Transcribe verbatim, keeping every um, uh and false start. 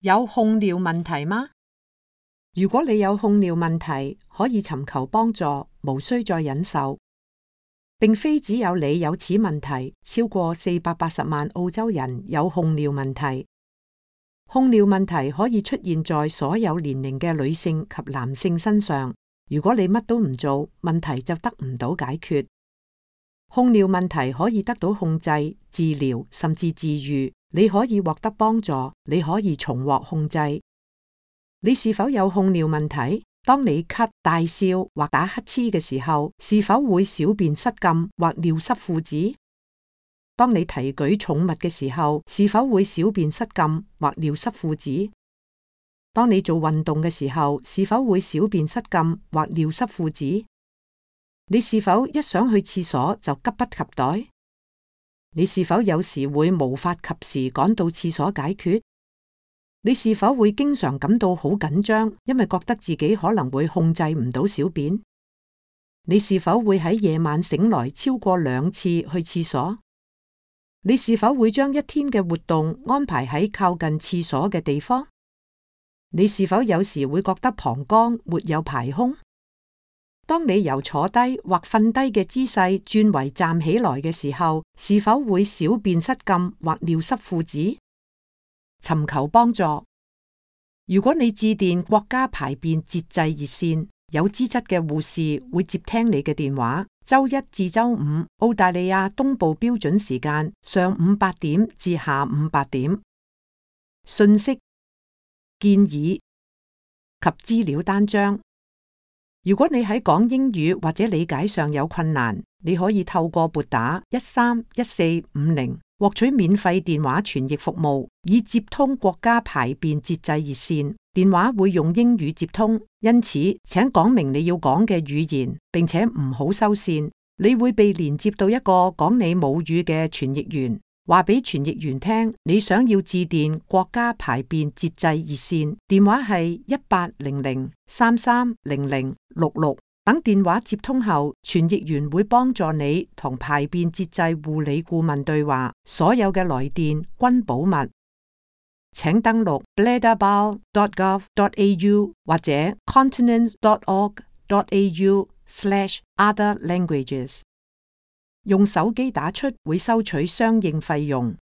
有控尿問題嗎？如果你有控尿問題，可以尋求幫助，無需再忍受。並非只有你有此問題，超過四百八十萬澳洲人有控尿問題。控尿問題可以出現在所有年齡嘅女性及男性身上。如果你乜都唔做，問題就得唔到解決。控尿問題可以得到控制、治療，甚至治癒。你可以獲得幫助，你可以重獲控制。你是否有控尿問題？當你咳、大笑或打乞嗤嘅時候，是否會小便失禁或尿失褲子？當你提舉重物嘅時候，是否會小便失禁或尿失褲子？當你做運動嘅時候，是否會小便失禁或尿失褲子？你是否一想去廁所就急不及待？你是否有時會無法及時趕到廁所解決？你是否會經常感到好緊張，因為覺得自己可能會控制唔到小便？你是否會喺夜晚醒來超過兩次去廁所？你是否會將一天嘅活動安排喺靠近廁所嘅地方？你是否有時會覺得膀胱沒有排空？當你由坐低或瞓低嘅姿勢轉為站起來嘅時候，是否會小便失禁或尿濕褲子？尋求幫助。如果你致電國家排便節制熱線，有資質嘅護士會接聽你嘅電話。周一至周五，澳大利亞東部標準時間上午八點至下午八點。信息、建議及資料單張。如果你喺講英語或者理解上有困難，你可以透過撥打一三一四五零獲取免費電話傳譯服務，以接通國家排便節制熱線。電話會用英語接通，因此請講明你要講嘅語言，並且唔好收線。你會被連接到一個講你母語嘅傳譯員，話俾傳譯員聽你想要致電國家排便節制熱線，電話係一八零零三三零零六六。等電話接通後，傳譯員會幫助你同排便節制護理顧問對話，所有嘅來電均保密。請登錄 bladderbowl dot gov dot a u 或者 continent dot org dot a u slash other languages。用手機打出會收取相應費用。